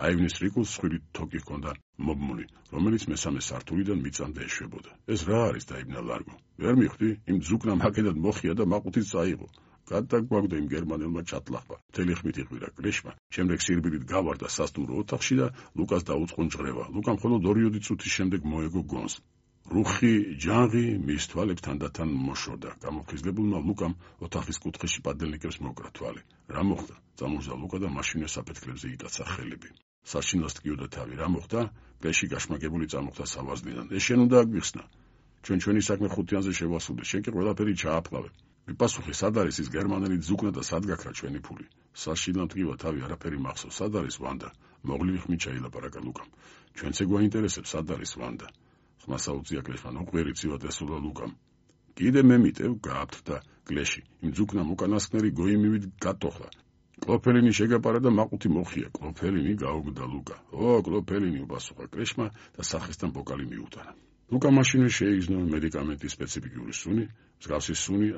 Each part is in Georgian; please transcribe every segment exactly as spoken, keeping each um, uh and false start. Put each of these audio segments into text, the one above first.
აივნის რიკულს სხვილი თოკი ჰქონდა მობმული, რომელიც მესამე სართულიდან მიწამდე ეშვებოდა. ეს რა არის დაიბნა ლარგო. ვერ მიხვდი, იმ ძუკნამ აქედან მოხია და მაყუთიც წაიღო. გადაგვაგდო იმ გერმანელმა ჩატლახვა. მთელი ხმით იყვირა კლეშმა, შემდეგ სირბილით გავარდა სასტუმრო ოთახში და ლუკას დაუწყო ნჭრევა. ლუკამ მხოლოდ ორიოდი წუთის შემდეგ მოეგო გონს. რუხი ჯანღი მის თვალებთან და თან მოშორდა. გამოფხიზლებულმა ლუკამ ოთახის კუთხეში პადელნიკებს მოკრა თვალი. რა მოხდა? წამოჟდა ლუკა და მაშინვე საფეთქლებზე იტაცა ხელები. საშინელს ტკიოდა თავი. რა მოხდა? კლეში გაშმაგებული წამოხდა სავარძლიდან. ეს შენ უნდა აგვიხსნა. ჩვენ ჩვენი საქმე ხუთიანზე შევასრულეთ. შენ კი ყველაფერი ჩააფლავე. მიპასუხე, სად არის ის გერმანელი ძუკნა და სად გაქრა ჩვენი ფული? საშინელმა ტკივა თავი, არაფერი მახსოვს. სად არის ვანდა? მოღლივი ხმით ჩაილაპარაკა ლუკამ. ჩვენც გვაინტერესებს, სად არის ვანდა? ხმასა უწია კლეშმა, ნუყვიერი ცივად ესულა ლუკამ. კიდე მე მიტევ, გააფრთხა კლეში. იმ ძუკნამ უკანასკნელი გოიმივით გატოხლა. კლოფელინი შეგაპარა და მაყუთი მოხია. კლოფელინი გაუგდა ლუკა. ო, კლოფელინი უპასუხა კლეშმა და სახესთან ბოკალი მიუტანა. ლუკა მაშინვე შეიგრძნო მედიკამენტის სპეციფიკური სუნი, მსგავსი სუნი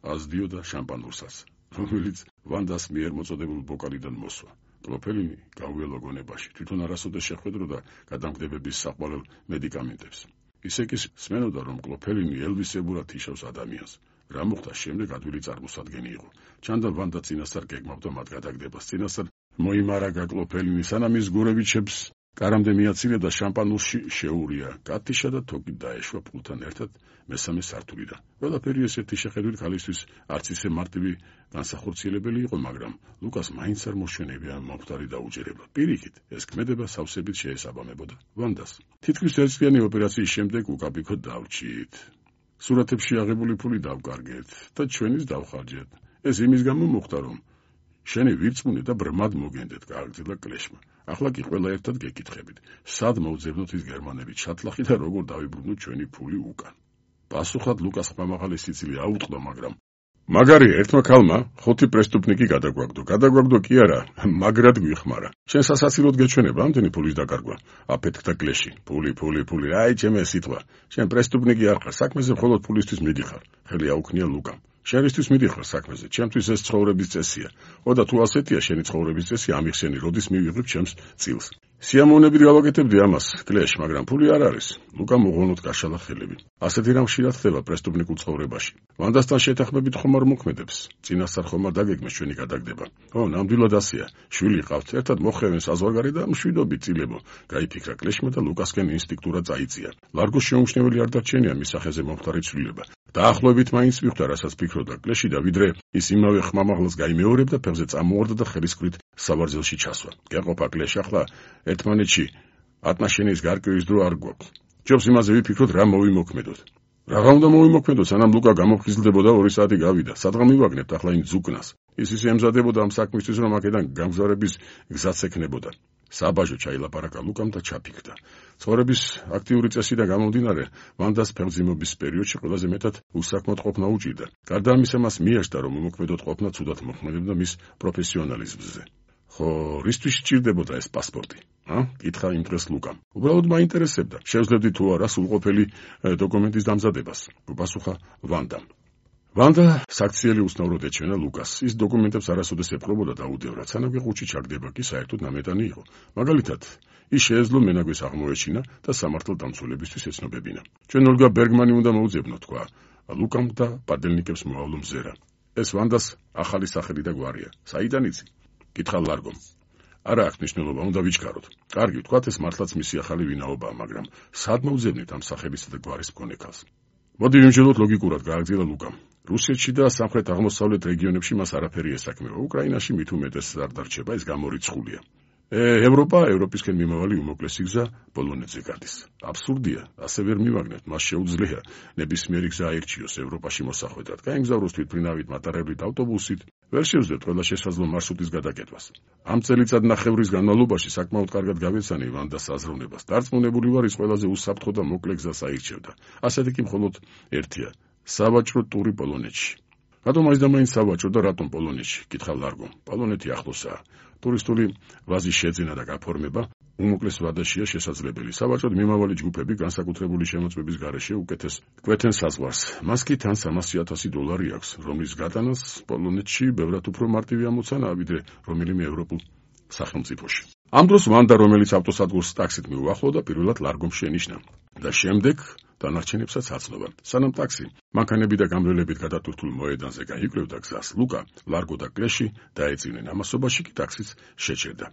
აზდიოდა შამპანურსაც, რომელიც ვანდას მიერ მოწოდებულ ბოკალიდან მოსვა. კლოფელინი გავიელო გონებაში, თვითონ არასოდეს შეხვედროდა გადამგდებების საყვალელ მედიკამენტებს. ისე კი სმენოდა, რომ კლოფელინი ელვისებურად იშავს ადამიანს. რა მოხდა შემდეგ ადვილი წარმოსადგენი იყო. ჩანდა ვანდა წინასწარ გეგმავდა მათ გადაგდებას. წინასწარ მოიმარაგა კლოფელინი, სანამ ის გურევიჩებს კარამდე მიაცილე და შამპანურში შეურია. კატიშა და თოკი დაეშვა პულთან ერთად მესამე სართულიდან. ყველაფერი ესეთი შეხედვით ქალისთვის არც ისე მარტივი განსახორციელებელი იყო, მაგრამ ლუკას მაინც არ მოშენებია მომხდარი დაუჯერება. პირიქით, ეს ქმედება სავსებით შეესაბამებოდა ვანდას. თითქმის ერთწლიანი ოპერაციის შემდეგ უკაბიქო დავრჩით. სურათებში აღებული ფული დავკარგეთ და ჩვენის დავხარჯეთ. ეს იმის გამო მოხდა, რომ შენი ვირწმუნე და ბრმად მოგენდეთ, გააგრძელა კლეშმა. ახლა კი ყველა ერთად გეკითხებით, სად მოვძებნოთ ის გერმანელი ჩატლახი და როგორ დავიბრუნოთ ჩვენი ფული უკან. პასუხად ლუკას ხმამაღალი სიცილი აუტყდა, მაგრამ მაგარი ერთმა ქალმა ხუთი პრესტუპნიკი გადაგვაგდო. გადაგვაგდო კი არა, მაგრად გვიხმარა. შენ სასაცილოდ გეჩვენება ამდენი ფულის დაკარგვა? აფეთქდა კლეში. ფული, ფული, ფული, აი ჩემე სიტყვა. შენ პრესტუპნიკი არ ხარ, საქმეზე მხოლოდ ფულისთვის მიდიხარ. ხელი აუქნია ლუკამ. შენისთვის მიდიხარ საქმეზე, ჩემთვის ეს ცხოვრების წესია. ოდა თუ ასეთია შენი ცხოვრების წესი, ამიხსენი, როდის მივიღებ ჩემს წილს. სიამოვნებით გავაკეთებდი ამას, კლეშ, მაგრამ ფული არ არის. ლუკა მოღონოთ გაშალა ხელები. ასეთი რამ ხშირად ხდება პრესტუპნიკულ ცხოვრებაში. ვანდასთან შეთანხმებით ხომ არ მოქმედებს. წინასწარ ხომ არ დაგეგმეს ჩვენი გადაგდება. ო, ნამდვილად ასეა. შვილი ყავთ, ერთად მოხევენ საზღვარგარეთ და მშვიდობით წილებო. გაიფიქრა კლეშმა და ლუკასკენ ინსტინქტურად წაიწია. ლარგოს შეუმჩნეველი არ დარჩენია მის სახეზე მომხდარი ცვლილება. დაახლოებით მაინც მიხვდა, რასაც ფიქრობდა კლეში და ვიდრე ის იმავე ხმამაღლს გაიმეორებდა, ფეხზე წამოორდა და ხელისკვრით სავარძელში ჩასვა. გეყოფა კლეშ, ახლა ერთმანეთში ატნაშენის გარკვევის დრო არ გვაქვს. ჯობს იმაზე ვიფიქროთ, რა მოვიმოქმედოთ. რაღა უნდა მოვიმოქმედოთ, სანამ ლუკა გამოფხიზლდებოდა ორი საათი გავიდა. სადღა მივაგნებთ ახლა იმ ძუკნას. ის ისე ემზადებოდა ამ საქმისთვის, რომ აქედან გამგზავრების გზაც ექნებოდა. საბაჟო ჩაილაპარაკა ლუკამ და ჩაფიქრდა. ცხოვრების აქტიური წესიდან გამომდინარე, ვანდას ფეხმძიმობის პერიოდში ყველაზე მეტად უსაქმოდ ყოფნა უჭირდა. გარდა ამისა, მას მიეშდა, რომ უმოქმედოდ ყოფნა ცუდად მოქმედებდა მის პროფესიონალიზმზე. ხო, რისთვის სჭირდებოდა ეს პასპორტი? ა? კითხა იმ დღეს ლუკამ. უბრალოდ მაინტერესებდა, შევძლებდი თუ არა სრულყოფილი დოკუმენტის დამზადებას. უპასუხა ვანდამ. ვანდა საქციელი უცნაურად ეჩვენა ლუკას. ის დოკუმენტებს არასოდეს ეპყრობოდა დაუდევრად, სანამ ყუჩი ჩაგდება კი საერთოდ ნამეტანი იყო. მაგალითად, ის შეეძლო მენაგვეს აღმოეჩინა და სამართალ დამცველებისთვის ეცნობებინა. ჩვენ ოლგა ბერგმანი უნდა მოუძებნოთ, თქვა ლუკამ და პადელნიკებს მოავლო მზერა. ეს ვანდას ახალი სახელი და გვარია. საიდან იცი? კითხა ლარგომ. არა აქვს მნიშვნელობა, უნდა ვიჩქაროთ. კარგი, ვთქვათ, ეს მართლაც მისი ახალი ვინაობაა, მაგრამ სად მოვძებნით ამ სახელისა და გვარის მქონე ქალს? მოდი ვიმჯეროთ ლოგიკურად, გააგრძელა ლუკამ. რუსეთში და სამხრეთ აღმოსავლეთ რეგიონებში მას არაფერი ესაქმება. უკრაინაში მით უმეტეს არ დარჩება, ეს გამორიცხულია. ევროპა, ევროპისკენ მიმავალი უმოკლესი გზა პოლონეთზე გადის. აბსურდია, ასე ვერ მივაგნებთ, მას შეუძლია ნებისმიერი გზა აირჩიოს ევროპაში მოსახვედრად. გაემგზავროს თვითმფრინავით, მატარებლით, ავტობუსით, ვერ შევძლებთ ყველა შესაძლო მარშრუტის გადაკეთებას. ამ წელიწადნახევრის განმავლობაში საკმაოდ კარგად გავეცანი ვანდას აზროვნებას. დარწმუნებული ვარ, ის ყველაზე უსაფრთხო და მოკლე გზას აირჩევდა. ასეთი კი მხოლოდ ერთია, სავაჭრო ტური პოლონეთში. რატომ არის და მაინც სავაჭრო და რატომ პოლონეთში? კითხა ლარგომ. პოლონეთი ახლოსაა. ტურისტული ვაზის შეძენა და გაფორმება უმოკლეს ვადაშია შესაძლებელი. სავაჭროდ მიმავალი ჯგუფები განსაკუთრებული შემოწმების გარეშე უკეთეს კვეთენ საზღვარს. მას კი თან სამასი ათასი დოლარი აქვს, რომლის გატანას პოლონეთში ბევრად უფრო მარტივი ამოცანაა, ვიდრე რომელიმე ევროპულ სახელმწიფოში. ამ დროს ვანდა, რომელიც ავტოსადგურს ტაქსით მიუახლოვდა, პირველად ლარგომ შენიშნა და შემდეგ დანარჩენებსაც აცნობა. სანამ ტაქსი მანქანები და გამრავლებით გადატვირთულ მოედანზე გაიკვლევდა გზას, ლუკა, ლარგო და კლეში დაეწინნენ. ამასობაში კი ტაქსიც შეჩერდა.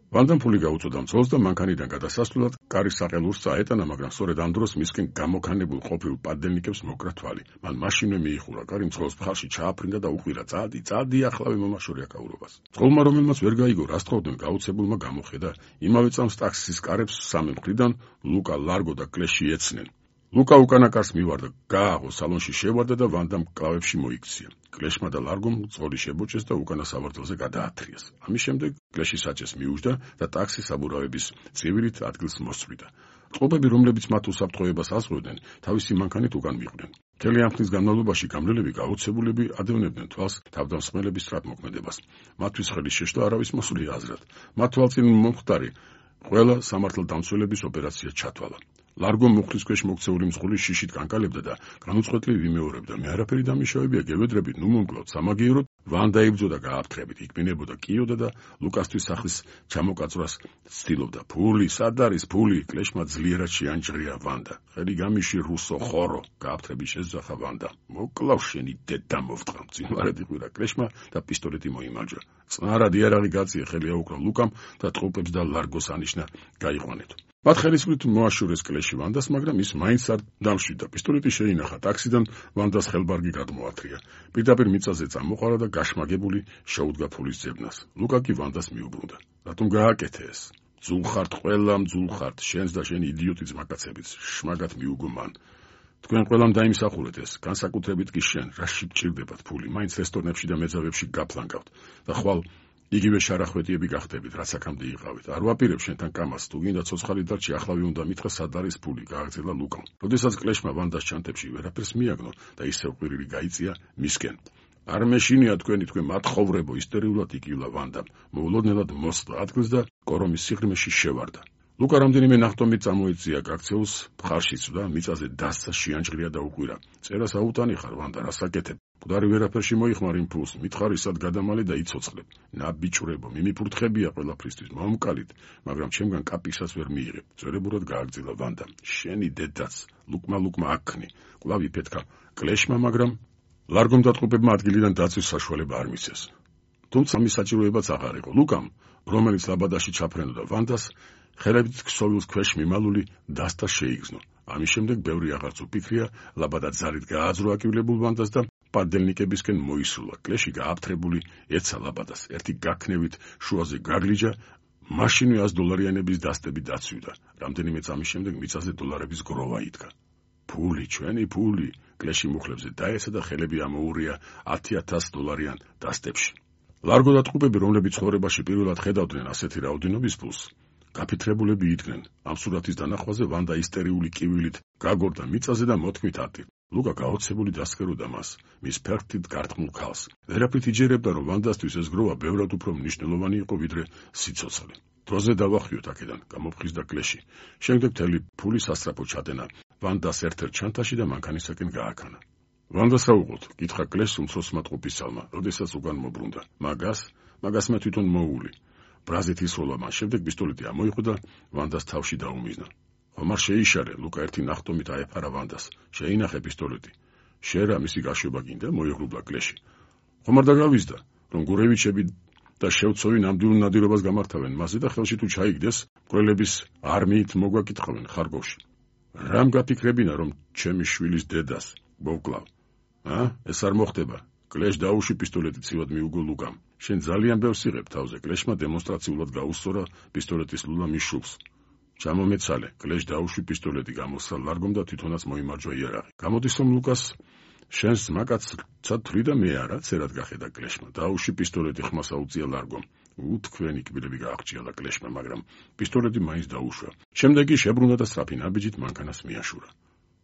ვანდამ ფული გაუწოდა მძღოლს და მანქანიდან გადასასვლელად კარის საყელურს წაეტანა, მაგრამ სწორედ ამ დროს მისკენ გამოქანებულ ყოფილ პადელნიკებს მოკრა თვალი. მან მაშინვე მიიხურა კარი, მძღოლს მხარში ჩააფრინდა და უყვირა: "წადი, წადი, ახლა მომაშორე აკაურობას." მძღოლმა, რომელმაც ვერ გაიგო რა სწავდნენ, გაუცებულმა გამოხედა. იმავე წამს ტაქსის კარებს სამი მხრიდან ლუკა, ლარგო და კლეში ეცნენ. ლუკა უკანა კარს მივარდა, გააღო, სალონში შევარდა და ვანდამ კლავებში მოიქცია. კლეშმა და ლარგომ მძღოლი შებოჭეს და უკანა სავარძელზე გადაათრიეს. ამის შემდეგ კლეში საჭეს მიუჯდა და ტაქსი საბურავების წივილით ადგილს მოსწვიდა. წყობები, რომლებიც მათ უსაფრთხოებას ასწვევდნენ, თავისი მანქანით უკან მიყვნენ. მთელი ამ ხნის განმავლობაში გამრავლები გაოცებულები ადევნებდნენ თვალს თავდამსხმელების სწრაფმოქმედებას. მათთვის ხელი შეშლა არავის მოსული აზრად. მათ თვალწინ მომხდარი ყველა სამართალდამცველების ოპერაცია ჩათვალა. ლარგო მუხლის ქვეშ მოქცეული მძღოლი შიშით კანკალებდა და განუწყვეტლივ იმეორებდა: "მე არაფერი დამიშავებია, გევედრებით, ნუ მომკლავთ." სამაგიეროდ ვანდა იბრძოდა გააფთრებით, იქბინებოდა, კიოდა და ლუკასთვის სახლის ჩამოკაწვრას ცდილობდა. "ფული, სად არის ფული?" კლეშმა ძლიერად შეანჭრია ვანდა. "ხელი გამიში, რუსო ხორო!" გააფთრებით შეძახა ვანდა. "მოკლავ შენი დედა მოვტყამ." წინვარად იყვირა კლეშმა და პისტოლეტი მოიმარჯვა. "წნარად იარაღი გაწია", ხელი აუკრა ლუკამ და ტყუპებს და ლარგოს ანიშნა გაიყვანეთ. მათ ხელისმრით მოაშორეს კლეში ვანდას, მაგრამ ის მაინც არ დამშვიდა. პისტოლეტი შეინახა ტაქსიდან, ვანდას ხელბარგი გადმოათრია. პირდაპირ მიწაზე წამოყარა და გაშმაგებული შეუდგა ფულის ძებნას. ლუკა კი ვანდას მიუბრუნდა. "რატომ გააკეთე ეს? ძულ ხართ, ყველა ძულ ხართ, შენს და შენი იდიოტი ძმაკაცებიც, შმაგად მიუგო მან. თქვენ ყველამ დაიმსახურეთ ეს, განსაკუთრებით კი შენ, რაში გჭირდებათ ფული? მაინც რესტორნებში და მეძავებში გაფლანგავთ და ხვალ იგივე შარახვეტიები გახდებით, რაც აქამდე იყავით. არ ვაპირებ შენთან კამას, თუ გინდა ცოცხალი დარჩი, ახლა უნდა მითხრა სად არის ფული?" გააგრძელა ლუკამ. როდესაც კლეშმა ვანდას ჩანთებში ვერაფერს მიაგნო და ისევ ყვირილი გაიწია მისკენ. "არ მეშინია თქვენი, თქვენ მათხოვრებო!" ისტერიულად იკივლა ვანდამ. მოულოდნელად მოსწდა ადგილს და კორომის სიღრმეში შევარდა. ლუკა რამდენიმე ნახტომით წამოეწია გაქცეულს, მხარში წვდა, მიწაზე დასცა, შეანჭრია და უყვირა: "წერას აუტანი ხარ, ვანდა, რას აკეთებ? მკვდარი ვერაფერში მოიხმარ იმ ფულს, მითხარ ისად გადამალე და იცოცხლებ. ნაბიჭვრებო, მიმიფურთხებია ყველაფრისთვის, მომკალით, მაგრამ ჩემგან კაპისაც ვერ მიიღებ." ძვერებურად გააგრძელა ვანდამ. "შენი დედაც, ლუკმა ლუკმა აქნი." კვლავ იფეთქა კლეშმა, მაგრამ ლარგომ და ტყუპებმა ადგილიდან დაწვის საშუალება არ მისცეს. თუმცა მის საჭიროებაც აღარ იყო. ლუკამ, რომელიც ლაბადაში ჩაფრენოდა ვანდას, ხელებით ქსოვილს ქვეშ მიმალული დასთა შეიგზნო. ამის შემდეგ ბევრი აღარც უფიქრია, ლაბადა ძალით გააძრო აკივლებულ ვანდას და პადელნიკებისკენ მოისულა. კლეში გააფთრებული ეცა ლაბადას. ერთი გაქნევით შუაზე გაგლიჯა, მაშინვე ას დოლარიანების დასტები დაცვიდა. რამდენიმე წამის შემდეგ მიწაზე დოლარების გროვა იდგა. "ფული, ჩვენი ფული!" კლეში მუხლებზე დაეცა და ხელები ამოურია ათი ათას დოლარიან დასტებში. ლარგო და ტყუპები, რომლებიც ცხოვრებაში პირველად ხედავდნენ ასეთი რაოდენობის ფულს, გაფითრებულები იდგნენ. ამ სურათის დანახვაზე ვანდა ისტერიული კივილით გაგორდა მიწაზე და მოთქმით ატირ. ლუკა გაოცებული დასქეროდა მას, მის ფერხთით გარტყმულ ქალს. ვერაფრით იჯერებდა, რომ ვანდასთვის ეს გროვა ბევრად უფრო მნიშვნელოვანი იყო, ვიდრე სიცოცხლე. დროზე დავახიოთ აქედან, გამოფხიზდა კლეში. შემდეგ მთელი ფული სასწრაფო ჩადენა ვანდას ერთ-ერთ ჩანთაში და მანქანისაკენ გააქანა. "ვანდას რა უყოთ?" კითხა კლეშს უმცროსმა ტყუპისალმა, როდესაც უკან მობრუნდა. "მაგას, მაგას მე თვითონ მოული." ბრაზით ისროლა მან, შემდეგ პისტოლეტი ამოიღო და ვანდას თავში დაუმიზნა. "ხომარ შეიშარე", ლუკა ერთი ნახტომით აეფარა ვანდას. "შეინახე პისტოლეტი." "შენ რა, მისი გაშვება გინდა?" მოიღრუბლა კლეში. "ხომარ დაგავიზდა, რომ გურევიჩები და შევცოვი ნამდვილ ნადირობას გამართავენ მასზე და ხელში თუ ჩაიგდეს, მკვლელების არმიით მოგვაკითხავენ ხარკოვში. რამ გაფიქრებინა, რომ ჩემი შვილის დედას მოვკლავ? ა? ეს არ მოხდება." კლეშ დაუში პისტოლეტი ცივად მიუგო ლუკამ. "შენ ძალიან ბევრს იღებ თავზე." კლეშმა დემონსტრაციულად გაუსწორა პისტოლეტის ლულა მის შუბლს. "ჩამომეცალე." კლეშ დაუში პისტოლეტი, გამოსცა ლარგომ და თვითონაც მოიმარჯვა იარაღი. "გამოდის, რომ ლუკას შენს მაკაცსა თვლი და მე არა?" ცერად გახედა კლეშმა. დაუში პისტოლეტი, ხმას აუწია ლარგომ. უთქვენი კბილები გააღჭიალა კლეშმა, მაგრამ პისტოლეტი მაინც დაუშვა. შემდეგ კი შებრუნდა და სწრაფი ნაბიჯით მანქანას მიაშურა.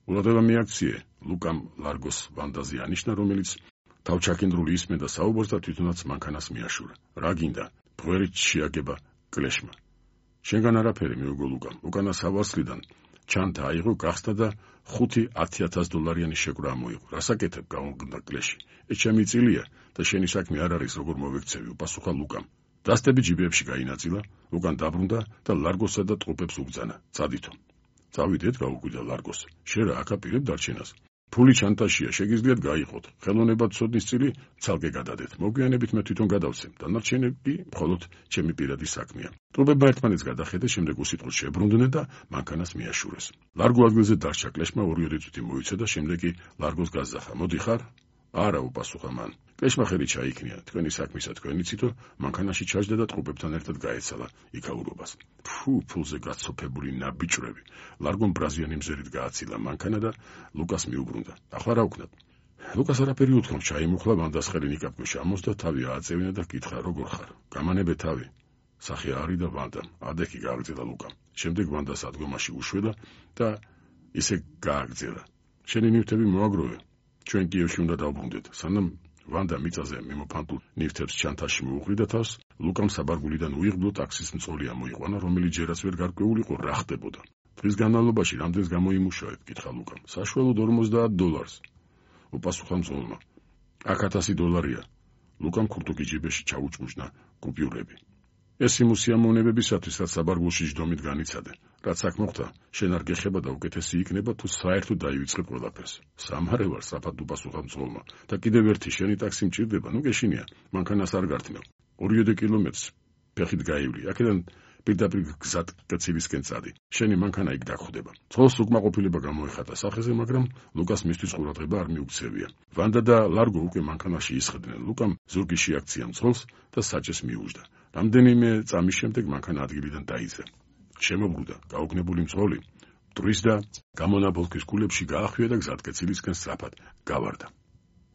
"ყურადღება მიაქციე." ლუკამ ლარგოს ვანდაზე ანიშნა, რომელიც თავჩაკენდრული ისმენდა საუბარს და თვითონაც მანქანას მიაშურა. "რა გინდა?" ბღვერით შეაგება კლეშმა. "შენგან არაფერი", მიუგო ლუკამ. უკანა სავარსლიდან ჩანთა აიღო, გახსნა და ხუთი ათი ათას დოლარიანი შეკვრა ამოიღო. "რას აკეთებ?" გაუნგდა კლეში. "ეს ჩემი წილია და შენი საქმე არ არის, როგორ მოვექცევი", უპასუხა ლუკამ. დასტები ჯიბეებში გაინაწილა, უკან დაბრუნდა და ლარგოსა და ტყუპებს უგზანა. წადითო. წავიდეთ, გაუკვირდა ლარგოს. შენ რა აკაპირებ დარჩენას? ფული ჩანტაშია, შეგიძლიათ გაიყოთ. ხელოვნებად ცოდნის წილი ცალკე გადადეთ. მოგვიანებით მე თვითონ გადავცემ. დანარჩენები მხოლოდ ჩემი პირადი საქმეა. ტყუპებმა ერთმანეთს გადახედეს, შემდეგ უსიტყვოდ შებრუნდნენ და მანქანას მიაშურეს. ლარგო ადგილზე დარჩა, კლეშმა ორი-ორი წუთი მოიცა და შემდეგ კი ლარგოს გაზახა. მოდი ხარ? არა, უპასუხა მან. კლეშმა ხელი ჩაიქნია, თქვენი საქმისა თქვენი ციტო, მანქანაში ჩაჯდა და ტყუპებთან ერთად გაეცალა იქაურობას. ფუ, ფულზე გაცოფებული ნაბიჭრები. ლარგომ ბრაზიანი მზერით გააცილა მანქანა და ლუკას მიუბრუნდა. ახლა რა ვქნათ? ლუკას არაფერი უთქვამს, ჩაიმუხლა ვანდას ხელი ნიკაპქვეშ ამოსდა, თავი ააწევინა და კითხა, როგორ ხარ? გამანებე თავი. სახე არი და ვანდამ. ადექი გააგრძელა ლუკამ. შემდეგ ვანდას ადგომაში უშვედა და ისე გააგრძელა. შენი ნივთები მოაგროვე. ჩვენ კიევში უნდა დავბრუნდეთ. სანამ ვანდა მიწაზე მიმოფანტულ ნივთებს ჩანთაში მოუყრიდა თავს, ლუკამ საბარგულიდან უიღბლო ტაქსის მწოლი ამოიყვანა, რომელიც ჯერაც ვერ გარკვეულიყო რა ხდებოდა. დღის განმავლობაში რამდენს გამოიმუშავებ? კითხა ლუკამ. საშუალოდ ორმოცდაათ დოლარს. უპასუხა მწოლმა. აქ ათასი დოლარია. ლუკამ ქურთუკი ჯიბეში ჩაუჭმუჭნა კუპიურები. ეს იმ უსიამოვნებებისათვის, რაც საბარგულში ჯდომით განიცადე. რაც აქ მოხდა, შენ არ გეხება და უკეთესი იქნება, თუ საერთოდ დაივიწყებ ყველაფერს. სამარე ვარ, საფათ უპასუხა მწოლმა. და კიდევ ერთი, შენი ტაქსი მჭირდება, ნუ გეშინია, მანქანას არ გართმევ. ორიოდე კილომეტრს ფეხით გაივლი, აქედან პირდაპირ გზად კაცილისკენ წადი. შენი მანქანა იქ დაგხვდება. ცოლს უკმაყოფილება გამოეხატა სახეზე, მაგრამ ლუკას მისთვის ყურადღება არ მიუქცევია. ვანდა და ლარგო უკვე მანქანაში ისხდნენ. ლუკამ ზურგი შეაქცია მცოლს და საჭეს მიუждდა. რამდენიმე წამის შემდეგ მანქანა ადგილიდან დაიძრა. შემობრუნდა, გაუგნებული მწოლი, მტვრის და გამონაბოლქვის კულებში გაახვია და გზატკეცილისკენ სწრაფად გავარდა.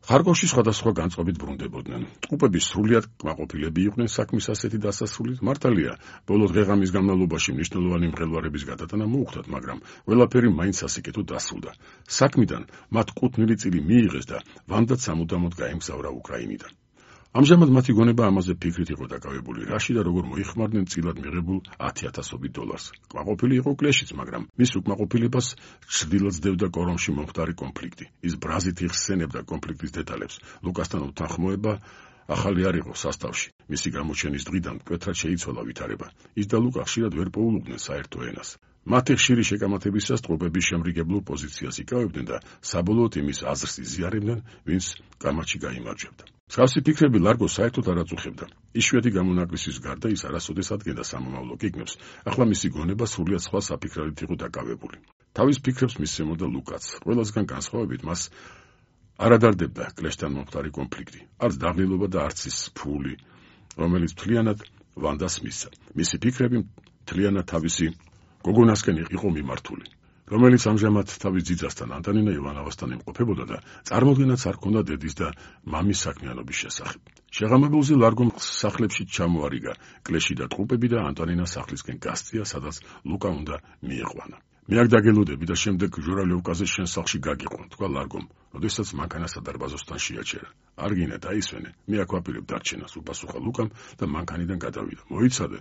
ხარკოვში სხვადასხვა განწყობით ბრუნდებოდნენ. ტყუპები სრულიად კმაყოფილები იყვნენ საქმის ასეთი დასასრულით. მართალია, ბოლო დღეღამის განმავლობაში მნიშვნელოვანი მღელვარების გადატანა მოუხდათ, მაგრამ ყველაფერი მაინც სასიკეთო დასრულდა. საქმიდან მათ ყუთნილი წილი მიიღეს და ვანდაც სამუდამოდ გაემგზავრა უკრაინიდან. ამჟამად მათი გონება ამაზე ფიქრით იყო დაკავებული, რაში და როგორ მოიხმარდნენ წილად მიღებულ ათი ათასობით დოლარს. კმაყოფილი იყო კლეშიც, მაგრამ მის უკმაყოფილებას ჩრდილად ძდევდა კორომში მომხდარი კონფლიქტი. ის ბრაზით იხსენებდა კონფლიქტის დეტალებს. ლუკასთან უთანხმოება ახალი არ იყო სასტავში. მისი გამოჩენის დღიდან მკვეთრად შეიცვალა ვითარება. ის და ლუკა ხშირად ვერ პოულობდნენ საერთო ენას. მათი ხშირი შეკამათებისას ტყუპები შემრიგებლურ პოზიციას იკავებდნენ და საბოლოოდ იმის აზრს იზიარებდნენ, ვინც კამათში გაიმარჯვებდა. მსგავსი ფიქრები ლარგოს საერთოდ არ აწუხებდა. იშვიათი გამონაკლისის გარდა ის არასოდეს ადგენდა სამომავლო გეგმებს, ახლა მისი გონება სრულიად სხვა საფიქრებით იყო დაკავებული. თავის ფიქრებს მისცემოდა ლუკაც. ყველასგან განსხვავებით მას არ ადარდებდა კლეშთან მომხდარი კონფლიქტი, არც დაღლილობა და არც ის ფული, რომელიც მთლიანად ვანდას მისცა. მისი ფიქრები მთლიანად თავისი გოგონასკენ იყო მიმართული, რომელიც ამჟამად თავის ძიძასთან ანტონინა ივანოვასთან იმყოფებოდა და წარმოდგენაც არ ჰქონდა დედის და მამის საქმიანობის შესახებ. შეღამებულზე ლარგომ სახლებში ჩამოარიგა კლეში და ტყუპები და ანტონინა სახლისკენ გასწია, სადაც ლუკა უნდა მიიყვანა. მე აქ დაგელოდები და შემდეგ ჟურალევკაზე შენ სახლში გაგიყვან, თქვა ლარგომ, როდესაც მანქანა სადარბაზოსთან შეაჩერა. არ გინდა დაისვენე, მე აქ ვაპირებ დარჩენას, უპასუხა ლუკამ და მანქანიდან გადავიდა. მოიცადე,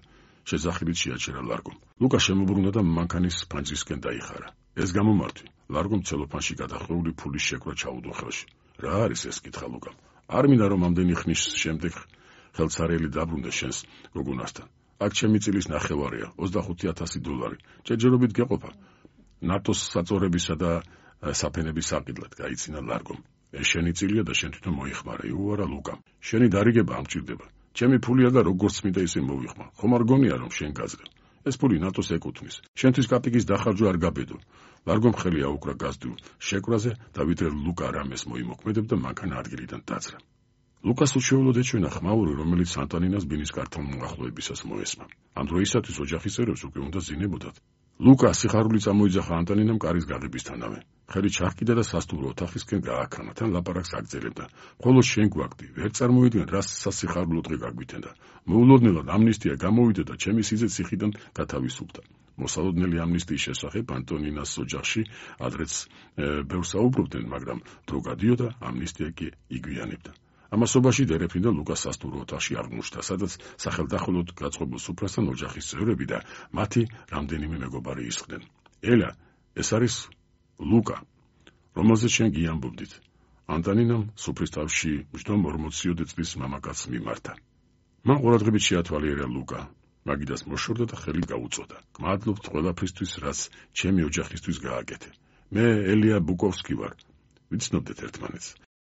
შეძახილით შეაჩერა ლარგომ. ლუკა შემოbrunდა და მანქანის ფანჯრისკენ დაიხარა. ეს გამომართვი, ლარგომ ცელოფანში გადახვეული ფულის შეკვრა ჩაუდო ხელში. რა არის ეს? კითხა ლუკამ. არ მინდა რომ ამდენი ხნის შემდეგ ხელცარიელი დაბრუნდეს შენს გოგონასთან. აქ ჩემი წილის ნახევარია, ოცდახუთი ათასი დოლარი. ჯერჯერობით გეყოფა. ნატოს საწორებისა და საფენების საყიდლად გაიცინა ლარგომ. ეს შენი წილია და შენ თვითონ მოიხმარე, უარა ლუკამ. შენი დარიგება ამჭირდება. ჩემი ფულია და როგორც მინდა ისე მოვიხმარ. ხომ არ გონია რომ შენ გაძლევ? ეს ფული ნატოს ეკუთვნის. შენთვის კაპიკის დახარჯვა არ გაბედო. ლარგომ ხელი აუკრა გაზდულ შეკვრაზე და ვიდრე ლუკა რამეს მოიმოქმედებდა, მანქანა ადგილიდან დაძრა. ლუკას უჩვეულოდ ეჩვენა ხმაური, რომელიც ანტონინას ბინის კართან მოახლოებისას მოესმა. ამ დროისათვის ოჯახის წევრებს უკვე უნდა ზინებოდათ. ლუკა სიხარული წამოიძახა ანტონინამ კარის გაღებისთანავე. ხელი ჩაჰკიდა და სასტუმრო ოთახისკენ გააქრანა, თან ლაპარაკს აგრძელებდა. ხოლო შენ გვაგდი, ვერ წარმოიდგენ რა სასიხარულო დღე გაგვითენდა. მოულოდნელად ამნისტია გამოვიდა და ჩემი სიძე ციხიდან გათავისუფლდა. მოსალოდნელი ამნისტიის შესახებ ანტონინას ოჯახში ადრეც ბევრს საუბრობდნენ, მაგრამ დრო გადიოდა, ამნისტია კი იგვიანებდა. ამასობაში დერეფრინდა ლუკას სასტუმრო ოთახში აღმოჩნდა, სადაც სახელდახელოდ გაწყობილ სუფრასთან ოჯახის წევრები და მათი რამდენიმე მეგობარი ისხდნენ. ელა, ეს არის ლუკა, რომელზეც შენ გიამბობდით. ანტონინამ სუფრის თავში მჯდომ ორმოციოდე წლის მამაკაცს მიმართა. მან ყურადღებით შეათვალიერა ლუკა. მაგიდას მოშორდა და ხელი გაუწოდა. გმადლობთ ყველაფრისთვის, რაც ჩემი ოჯახისთვის გააკეთე. მე ელია ბუკოვსკი ვარ. ვიცნობდეთ ერთმანეთს.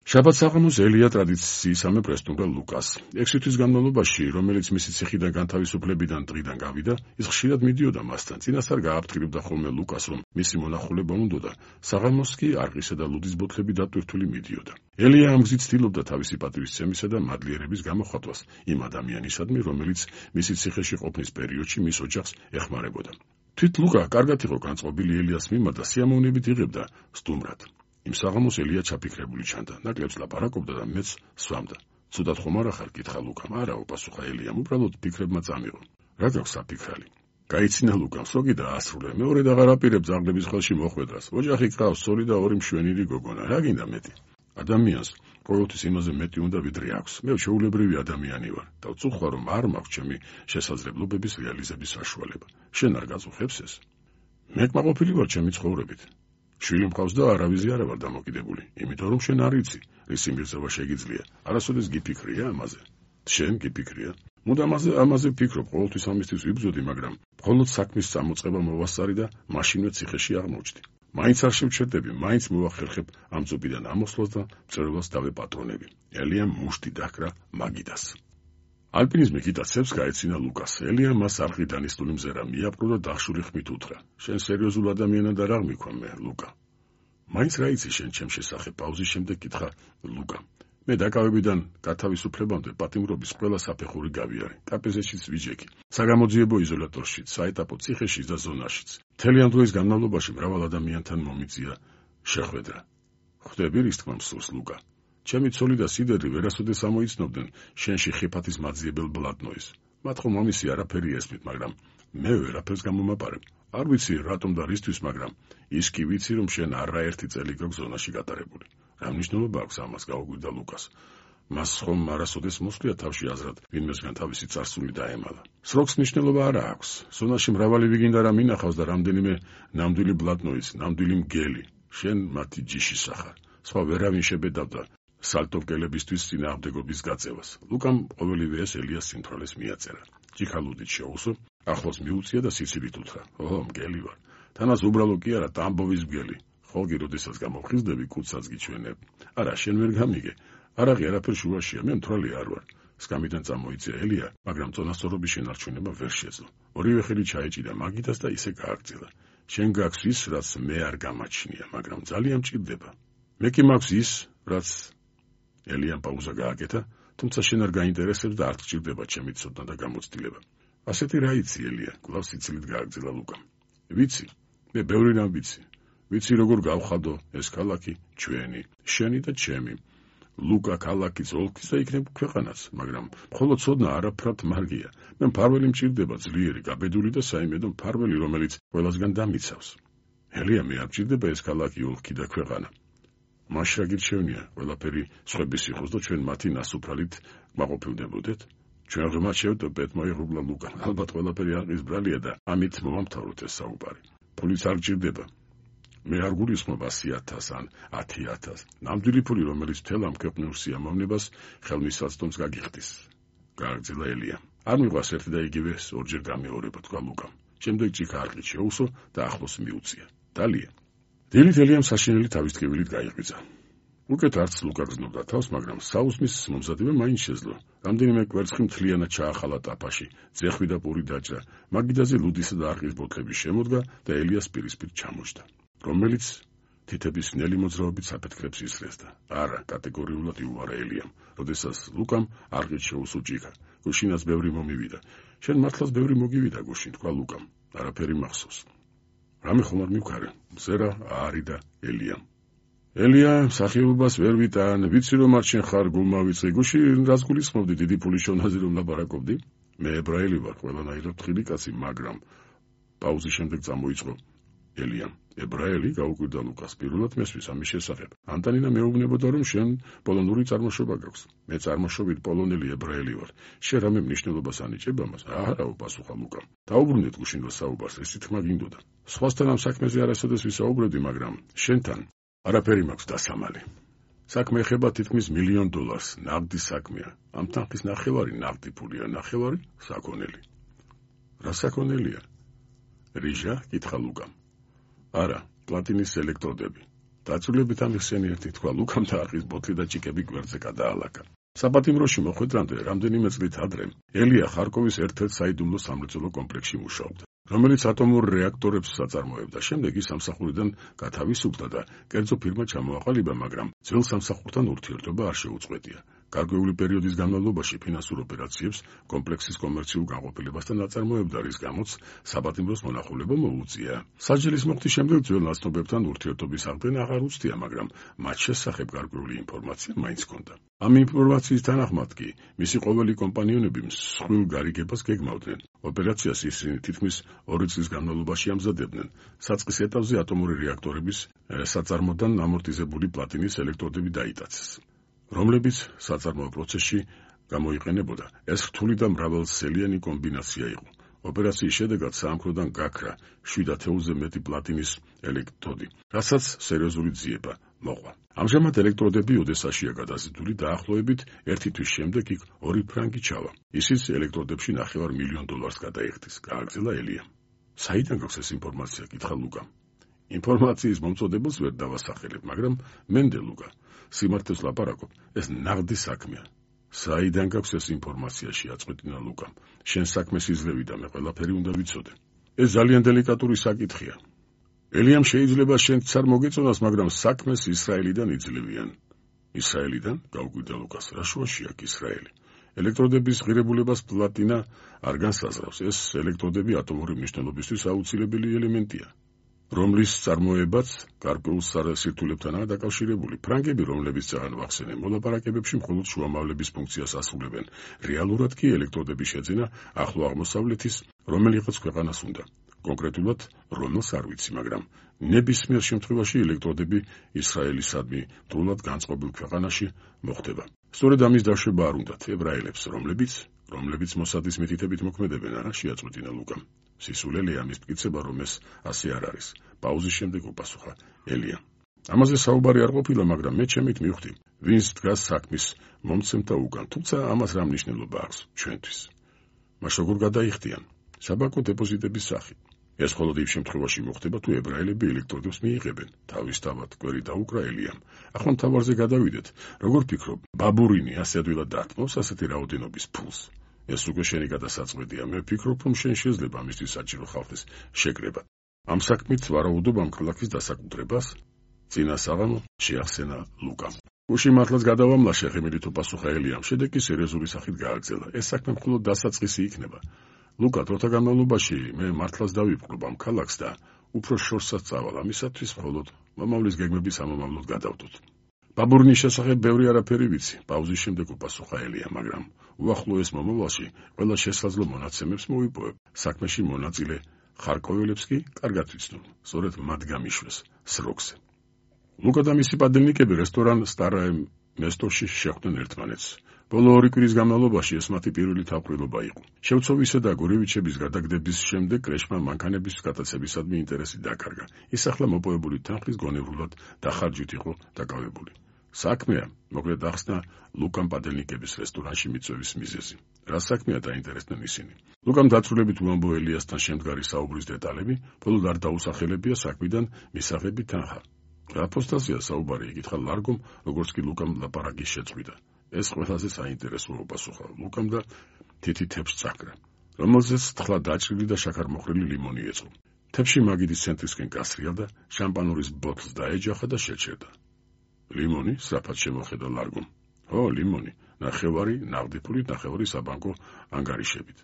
შაბათ საღამოს ელია ტრადიციისამებრ ესტუმრა ლუკას. ექვსი თვის განმავლობაში, რომელიც მისი ციხიდან განთავისუფლებიდან დღიდან გავიდა, ის ხშირად მიდიოდა მასთან. წინასწარ გააფრთხილებდა ხოლმე ლუკას, რომ მისი მონახულება უნდოდა. საღამოს კი არყისა და ლუდის ბოთლები დატვირთული მიდიოდა. ელია ამ გზით ცდილობდა თავისი პატივისცემისა და მადლიერების გამოხატვას იმ ადამიანისადმი, რომელიც მისი ციხეში ყოფნის პერიოდში მის ოჯახს ეხმარებოდა. თვით ლუკა კარგად იყო განწყობილი ელიას მიმართ და სიამოვნებით იღებდა სტუმრად. იმ საღამოს ელია ჩაფიქრებული ჩანდა, ნაკლებს ლაპარაკობდა და მეც სვამდა. ცუდად ხომ არ ახარ, კითხა ლუკამ. არაო, პასუხა ელიამ, უბრალოდ ფიქრებმა წამიღო. რა გაქვს საფიქრალი? გაიცინა ლუკამ, სოგი და ასრულე. მეორედ აღარ აპირებ ძაღლების ხელში მოხვედრას. ოჯახი ყავს, სწორი და ორი მშვენიერი გოგონა. რა გინდა მეტი? ადამიანს ყოველთვის იმაზე მეტი უნდა ვიდრე აქვს. მე შეულებრივი ადამიანი ვარ და ვწუხარ, რომ არ მაქვს ჩემი შესაძლებლობების რეალიზების საშუალება. შენ არ გაწუხებს ეს? მე კმაყოფილი ვარ ჩემი ცხოვრებით. შვილი მყავს და არავის არ ვარ დამოკიდებული, იმიტომ რომ შენ არ იცი, რის იმირზევა შეგიძლია. არასოდეს გიფიქრია ამაზე. შენ გიფიქრია. მუდამ ამაზე ამაზე ვფიქრობ, ყოველთვის ამისთვის ვიბრძოდი, მაგრამ მხოლოდ საქმის წამოწყება მოვასწარი და მაშინვე ციხეში აღმოჩნდი. მაინც არ შევჩერდები, მაინც მოვახერხებ ამ წუბიდან ამოსვლას და მწერლობას დავეპატრონები. ელიამ მუშტი დაჰკრა მაგიდას. ალპინიზმი გიტაცებს გაეცინა ლუკას. ელია მას არხი დანიშნული მზერა მიაპყრო და დახშული ხმით უთხრა. შენ სერიოზულ ადამიანად არ აღმიქვამე მე, ლუკა. მაინც რა იცი შენ ჩემ შესახებ? პაუზის შემდეგ კითხა ლუკა. მე დაკავებიდან გათავისუფლებამდე პატიმრობის ყველა საფეხური გავიარე. კაპეზეშიც ვიჯექი. საგამოძიებო იზოლატორშიც, საეტაპო ციხეშიც და ზონაშიც. მთელი ამ დროის განმავლობაში მრავალ ადამიანთან მომიწია შეხვედრა. ხვდები რის თქმა მსურს, ლუკა. ჩემი ცოლი და სიდერი ვერასოდეს ამოიცნობდნენ შენში ხიფათის მაძიებელ ბლატნოის. მათ ხომ ამისი არაფერი ესმით, მაგრამ მე ვერაფერს გამომაპარებ. არ ვიცი რატომ და რისთვის, მაგრამ ის კი ვიცი, რომ შენ არაერთი წელი გაქვს ზონაში გატარებული. რა მნიშვნელობა აქვს ამას? გაუგვირდა ლუკას. მას ხომ არასოდეს მოსვლია თავში აზრად, ვინმესგან თავისი წარსული დაემალა. სროქს მნიშვნელობა არა აქვს. ზონაში მრავალი ვიგინდა რა მინახავს და რამდენიმე ნამდვილი ბლატნოის, ნამდვილი მგელი. შენ მათი ჯიშის ახარ. სხვა ვერავინ შებედავდა სალტოვკელებისთვის წინააღმდეგობის გაწევას. ლუკამ ყოველივე ეს ელიას სიმთვრალეს მიაწერა. ჯიქალუდით შეუსო, ახლოს მიუწია და სიცილით უთხრა. ო, მგელი ვარ. თანაც უბრალო კი არა, ტამბოვის მგელი. ხოლმე როდესაც გამოვხიზდები, კუცსაც გიჩვენებ. არა, შენ ვერ გამიგე. არაღი არაფერ შუაშია, მე მთვრალი არ ვარ. სკამიდან წამოიწია ელია, მაგრამ წონასწორობის შენარჩუნება ვერ შეძლო. ორივე ხელი ჩაეჭიდა მაგიდას და ისე გააგრძელა. შენ გაქვს ის, რაც მე არ გამაჩნია, მაგრამ ძალიან მჭირდება. მე კი მაქვს ის, რაც ელიამ პაუზა გააკეთა, თუმცა შენ არ გაინტერესებს და არ გჭირდება ჩემი ცოდნა და გამოცდილება. ასეთი რა იცი ელია? კვლავ სიცილით გააგრძელა ლუკამ. ვიცი, მე ბევრი რამ ვიცი. ვიცი როგორ გავხადო ეს ქალაქი ჩვენი, შენი და ჩემი. ლუკა ქალაქის ოლქის და იქნებ ქვეყანაც, მაგრამ მხოლოდ ცოდნა არაფრად მარგია. მე მფარველი მჭირდება, ძლიერი, გაბედული და საიმედო მფარველი, რომელიც ყველასგან დამიცავს. ელია, მე არ მჭირდება ეს ქალაქი, ოლქი და ქვეყანა. მას რა გირჩევნია, ყველაფერი სხვების იყოს და ჩვენ მათი ნასუფრალით მაყოფილდებოდეთ? ჩვენ ღმერთშევთ და პეტმოიღუბლა ლუკა. ალბათ ყველაფერი არყის ბრალია და ამით მომამთავროთ ეს საუბარი. ფულიც არ გჭირდება. მე არ გულისხმობ ასი ათას ან ათი ათას. ნამდვილი ფული, რომელიც მთელ ამ ქვეყნიურ სიამოვნებას ხელმისაწვდომს გაგიხდის. გააგრძელა ელია. არ მიყვარს ერთი და იგივე ორჯერ გამეორება, თქვა ლუკამ. შემდეგ ჭიქა არყით შეუსო და ახლოს მიუწია. დალია. დილით ელიამ საშინელი თავის ტკივილით გაიღვიძა. უკეთ არც ლუკა გრძნობდა თავს, მაგრამ საუზმის მომზადება მაინც შეძლო. რამდენიმე კვერცხი მთლიანად ჩაახალა ტაფაში, ძეხვი და პური დაჭრა, მაგიდაზე ლუდისა და არყის ბოთლები შემოდგა და ელიას პირისპირ ჩამოჯდა, რომელიც თითების ნელი მოძრაობით საფეთქრებს ისრესდა. არა, კატეგორიულად იუარა ელიამ, როდესაც ლუკამ არყით შეუსო ჭიქა. გუშინაც ბევრი მომივიდა. შენ მართლაც ბევრი მოგივიდა გუშინ, თქვა ლუკამ. არაფერი მახსოვს. რამე ხომ არ მივქარე, მზერა არი და ელიამ. ელია, სახეობას ვერ ვიტან, ვიცი რომ არ შენ ხარ გულმავიწყე, გუშინ რაც გულისხმობდი დიდი ფულის შონაზე რომ ლაპარაკობდი? მე ებრაელი ვარ, ყველანაირად ხილი კაცი, მაგრამ პაუზის შემდეგ წამოიწყო ელიამ. ებრაელი? გაუკვირდა ლუკას. პირველად მესმის ამის შესახებ. ანტანინა მეუბნებოდა რომ შენ პოლონური წარმოშობა გაქვს. მე წარმოშობით პოლონელი ებრაელი ვარ. შენ რამე მნიშვნელობას ანიჭებ ამას? არაო, პასუხა ლუკამ. დაუბრუნდეთ გუშინ რა საუბარს, ეს თქმა გინდოდა. სხვასთან ამ საქმეზე არასოდეს ვისაუბრებდი, მაგრამ შენთან არაფერი მაქვს დასამალი. საქმე ეხება თითქმის მილიონ დოლარს, ნაღდი საქმეა. ამ თანხის ნახევარი ნაღდი ფულია, ნახევარი საქონელი. რა საქონელია? რიჟა, კითხა ლუკამ. არა, პლატინის ელექტროდები. დაწვრილებით ამიხსენიერთი, თქვა ლუკამ და აყის ბოთლი და ჭიკები გვერდზე გადაალაკა. საპატიმროში მოხვედრამდე რამდენიმე წლით ადრე ელია ხარკოვის ერთ-ერთ საიდუმლო სამრეწველო კომპლექსში მუშაობდა, რომელიც ატომურ რეაქტორებს საწარმოებდა. შემდეგ ის სამსახურიდან გათავისუფლდა და კერძო ფირმა ჩამოაყალიბა, მაგრამ ძველ სამსახურთან ურთიერთობა არ შეუწყვეტია. გარკვეული პერიოდის განმავლობაში ფინანსურ ოპერაციებს, კომპლექსის კომერციულ განყოფილებასთან აწარმოებდა, რის გამოც საპატიმროს მონახულება მოუწია. საჯელის მოხდის შემდეგ ძველ ნაცნობებთან ურთიერთობის აღდგენა აღარ უცდია, მაგრამ მათ შესახებ გარკვეული ინფორმაცია მაინც ჰქონდა. ამ ინფორმაციის თანახმად კი მისი ყოველი კომპანიონები მსხვილ გარიგებას გეგმავდნენ. ოპერაციას ისინი თითქმის ორი წლის განმავლობაში ამზადებდნენ. საწყის ეტაპზე ატომური რეაქტორების საწარმოდან ამორტიზებული პლატინის ელექტროდები დაიტაცეს, რომლებიც საწარმოო პროცესში გამოიყენებოდა. ეს რთული და მრავალსელიანი კომბინაცია იყო. ოპერაციის შედეგად საამქროდან გაქრა შვიდ ათეულზე მეტი პლატინის ელექტროდი, რასაც სერიოზული ძიება მოყვა. ამჟამად ელექტროდები ოდესაშია გადაზიდული, დაახლოებით ერთი თვის შემდეგ იქ ორი ფრანგი ჩავა. ისიც ელექტროდებში ნახევარ მილიონ დოლარს გადაიხდის, გააგრძელა ელიამ. საიდან გაქვს ეს ინფორმაცია? კითხა ლუკამ. ინფორმაციის მომწოდებელს ვერ დავასახელებ, მაგრამ მენდე ლუკა, სიმართლეს ლაპარაკობ, ეს ნაღდი საქმეა. საიდან გაქვს ეს ინფორმაცია? შეაწყვეტინა ლუკამ. შენ საქმეს იძლევი და მე ყველაფერი უნდა ვიცოდე. ეს ძალიან დელიკატური საკითხია. ელიამ შეიძლება შენც არ მოგეწონას, მაგრამ საქმეს ისრაელიდან იძლევიან. ისრაელიდან? გაუკვირდა ლუკას. რა შუაში აქვს ისრაელი? ელექტროდების ღირებულებას პლატინა არ განსაზღვრავს. ეს ელექტროდები ატომური მნიშვნელობისთვის აუცილებელი ელემენტია, რომლის წარმოებაც გარკვეულ სირთულებთანაა დაკავშირებული. ფრანგები, რომლებიც ძალიან ვახსენე, მოლაპარაკებებში მხოლოდ შუამავლების ფუნქციას ასრულებენ. რეალურად კი ელექტროდების შეძენა ახლო აღმოსავლეთის რომელიღაც ქვეყანას უნდა. კონკრეტულად რომელს არ ვიცი, მაგრამ ნებისმიერ შემთხვევაში ელექტროდები ისრაელისადმი დროულად განწყობილ ქვეყანაში მოხდება. სწორედ ამის დაშვება არ უნდათ ებრაელებს, რომლებიც რომლებიც მოსადის მითითებით მოქმედებენ, არა? შეაწყვეტინა ლუკამ. სისულელე ამის მტკიცება, რომ ეს ასე არ არის. პაუზის შემდეგ უპასუხა ელიამ. ამაზე საუბარი არ ყოფილა, მაგრამ მე ჩემით მივხვდი, ვინც დგას საქმის მომცემთა უკან, თუმცა ამას რა მნიშვნელობა აქვს ჩვენთვის? მას როგორ გადაიხდიან? საბანკო დეპოზიტების სახით. ეს მხოლოდ იმ შემთხვევაში მოხდება, თუ ებრაელები ელექტროდებს მიიღებენ. თავისთავად კვერი დაუკრა ელიამ. ახლა მთავარზე გადავიდეთ. როგორ ფიქრობ, ბაბურინი ასე ადვილად დარტყმობს ასეთი რაოდენობის ფულს? ეს უკვე შენი გადასაწყვეტია. მე ვფიქრობ, რომ შენ შეიძლება ამისთვის საჭირო ხალხის შეკრება. ამ საქმით ვარაუდობ ამ ქალაქის დასაკუთრებას? წინა საღამო შეახსენა ლუკამ. გუში მართლაც გადავამლაშე, ღიმილით უპასუხა ელიამ. შედეგი სერიოზული სახით გააგრძელა. ეს საქმე მხოლოდ დასაწყისი იქნება. ლუკა, დროთა განმავლობაში მე მართლაც დავიპყრობ ამ ქალაქს და უფრო შორსაც წავალ. ამისათვის მხოლოდ მომავლის გეგმების ამომავლოდ გადავდოთ. ბაბურინის შესახებ ბევრი არაფერი ვიცი. პაუზის შემდეგ უპასუხა ელიამ, მაგრამ უახლოეს მომავალში ყველა შესაძლო მონაცემებს მოვიპოვებ. საქმეში მონაწილე ხარკოველებს კი კარგად ვიცნობ, სწორედ მათ გამიშვეს სროქზე. ლუკა და მისი პადელნიკები რესტორან სტარაე მესტოში შეხვდნენ ერთმანეთს. ბოლო ორი კვირის განმავლობაში ეს მათი პირველი თავყრილობა იყო. შევცოვისა და გორევიჩების გადაგდების შემდეგ კრეშმა მანქანების გადაცემისადმი ინტერესი დაკარგა. ის ახლა მოპოვებული თანხის გონევრულად დახარჯით იყო დაკავებული. საქმეა, მოკლედ ახსნა ლუკამ პადელნიკების რესტორანში მიწვევის მიზეზი. რა საქმეა, დაინტერესდნენ ისინი. ლუკამ დაწვრილებით უამბო ელიასთან შემდგარი საუბრის დეტალები, მხოლოდ არ დაუსახელებია საქმიდან მისაღები თანხა. რა ფოსტაზია საუბარი? იკითხა ლარგომ, როგორც კი ლუკამ ლაპარაკი შეწყვიტა. ეს ყველაზე საინტერესოა, უპასუხა ლუკამ და თითი თეფს წაკრა, რომელზეც თხლა დაჭრილი და შაქარმოხრილი ლიმონი ეწყო. თეფში მაგიდის ცენტრისკენ გასრიალ და შამპანურის ბოთლს დაეჯახა და შეჩერდა. ლიმონი? სწრაფად შემოხედა ლარგომ. ო, ლიმონი, ნახევარი ნაღდი ფულით, ნახევარი საბანკო ანგარიშებით,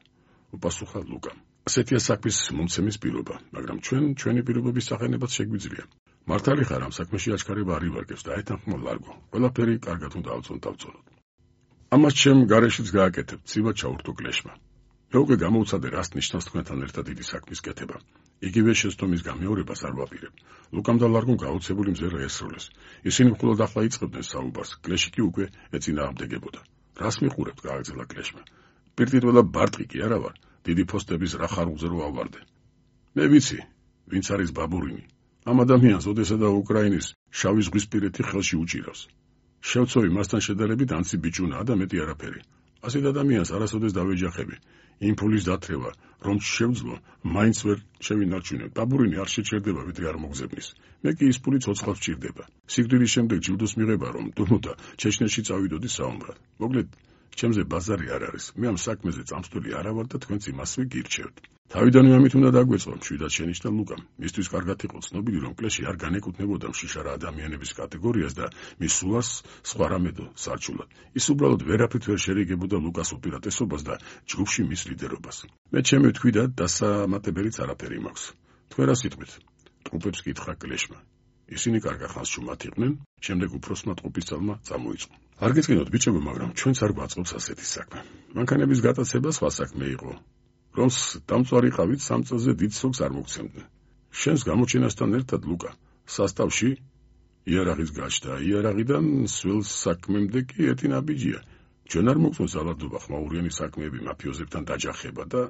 უპასუხა ლუკამ. ასეთია საქმის მომცემის პირობა, მაგრამ ჩვენ ჩვენი პირობების სახენებაც შეგვიძლია. მართალი ხარ, ამ საქმეში აჩქარება არ ივარგებს და ეთანხმა ლარგო. ყველაფერი კარგად უნდა ავწონ დავწონოთ. ამას ჩემ გარეშეც გააკეთებ, ცივა ჩაურთო კლეშმა. მე უკვე გამოვცადე, რას ნიშნავს თქვენთან ერთად დიდი საქმის კეთება. იგივე შეცდომის გამეორებას არ ვაპირებ. ლუკამ და ლარგომ გაოცებული მზერა ესროლეს. ისინი მხოლოდ ახლა იწყებდნენ საუბარს, კლეში კი უკვე ეწინააღმდეგებოდა. რას მიყურებთ? გააგრძელა კლეშმა. პირდაპირ ბარტყი კი არა ვარ, დიდი ფოსტების რა ხარულზე რო ავარდე. მე ვიცი, ვინც არის ბაბურინი. ამ ადამიანს ოდესა და უკრაინის შავი ზღვისპირეთი ხელში უჭირავს. შევცოვი მასთან შედარებით ანცი ბიჭუნაა და მეტი არაფერი. ასეთ ადამიანს არასოდეს დავეჯახები. იმ ფულის დათრევა, რომ შევძლო, მაინც ვერ შევინარჩუნებ. დაბურინი არ შეჩერდება, ვიდრე არ მოგზებნის. მე კი ის ფული ცოცხლად ვჭირდება. სიკვდილის შემდეგ ჯილდოს მიღება, რომ თუმცა ჩეჩნეთში წავიდოდი საომრად. მოკლედ, ჩემზე ბაზარი არ არის. მე ამ საქმეზე წამსვლელი არა ვარ და თქვენც იმასვე გირჩევთ. თავიდანვე ამით უნდა დაგვეწყო, მშვიდად შენიშნა ლუკამ. მისთვის კარგად იყო ცნობილი, რომ კლეში არ განეკუთვნებოდა მშიშარა ადამიანების კატეგორიას და მის სულას სხვა რამედო სარჩულად. ის უბრალოდ ვერაფრით ვერ შერიგებოდა ლუკას უპირატესობას და ჯგუფში მის ლიდერობას. მე ჩემი ვთქვი და დასამატებელიც არაფერი მაქვს. თქვენ რა სიტყვით? ტყუპებს კითხა კლეშმა. ისინი კარგა ხანს შუმად იყვნენ, შემდეგ უფროსმა ტყუპისცალმა წამოიწყო. არ გეწყინოთ ბიჭებო, მაგრამ ჩვენც არ გვაწყობს ასეთი საქმე. მანქანების გატაცება სხვა საქმე იყო. რომს დამწვარი ყავით სამ წელზე დიდ სოგს არ მოგცემდნენ. შენს გამოჩენასთან ერთად ლუკა სასტავში იარაღის გაჩნდა, იარაღიდან სულ საქმემდე კი ერთი ნაბიჯია. ჩვენ არ მოგწონს ალარდობა ხმაურიანი საქმეები, მაფიოზებთან დაჯახება და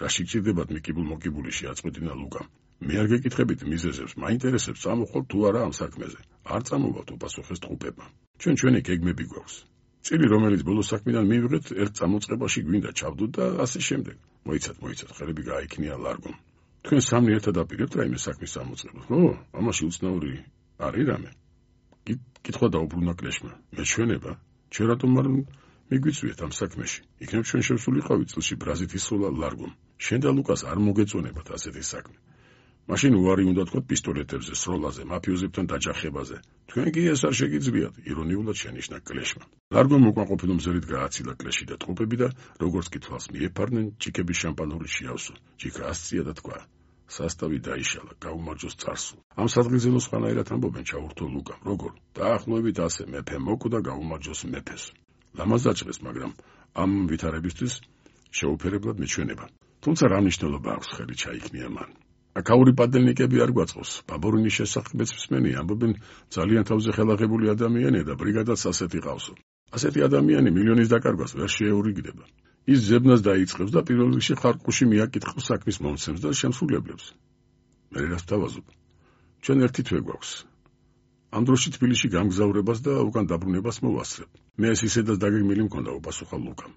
რა შეგჭირდებათ მიკიბულ-მოკიბული შეაწყვეტინა ლუკამ. მე არ გეკითხებით მიზეზებს, მაინტერესებს წამოხვალ თუ არა ამ საქმეზე. არ წამოვალთ უპასუხეს ტყუპებმა. ჩვენ ჩვენი გეგმები გვაქვს. წილი რომელიც ბოლო საქმიდან მივიღეთ, ერთ წამოწყებაში გვინდა ჩავდოთ და ასე შემდეგ. მოიცათ, მოიცათ, ხელები გააიქნია ლარგომ. თქვენ სამი ერთად აპირებთ რაიმე საქმის წამოწყებას? ო, ამაში უცნაური არის რამე? კითხვა დაუბრუნა კლეშმა. მეჩვენება? ჩვენ რატომ არ მიგვიწვიეთ ამ საქმეში? იქნებ ჩვენ შევსულიყავით წილში ბრაზით ისროლა ლარგომ. შენ და ლუკას არ მოგეწონებათ ასეთი საქმე. მაშინ უარი უნდა თქვათ პისტოლეტებზე, სროლაზე, მაფიოზებთან დაჯახებაზე. თქვენ კი ეს არ შეგიძლიათ, ირონიულად შენიშნა კლეშმა. ლარგომ უკმაყოფილო მზერით გააცილა კლეში და ტყუპები და როგორც კითხვას მიეფარნენ, ჩიქების შამპანური შეავსო. ჩიქა ასწია და თქვა: სასტავი დაიშალა, გაუმარჯოს царსულ. ამ სადღიზელო სხვანაირად ამბობენ ჩაურთო ლუკამ. როგორ? დაახლოებით ასე, მეფე მოკვდა, გაუმარჯოს მეფეს. ლამაზ დაჭრეს, მაგრამ ამ ვითარებისთვის შეუფერებლად მეჩვენება. თუმცა რა მნიშვნელობა აქვს ხელი ჩაიქნია მან. აქაური პადელნიკები არ გვაწყობს. ბაბურინის შესახებაც მსმენი ამბობენ ძალიან თავზე ხელაღებული ადამიანია და ბრიგადაც ასეთი ყავსო. ასეთი ადამიანი მილიონის დაკარგვას ვერ შეეურიგდება. ის ზებნას დაიწყებს და პირველ რიგში ხარკუში მიაკითხავს საქმის მომცემს და შემსრულებლებს. მე რას ვთავაზობ? ჩვენ ერთი თვე გვაქვს. ამ დროში თბილისში გამგზავრებას და უკან დაბრუნებას მოვასწრებ. მე ეს ისედაც დაგეგმილი მქონდა, უპასუხა ლუკამ.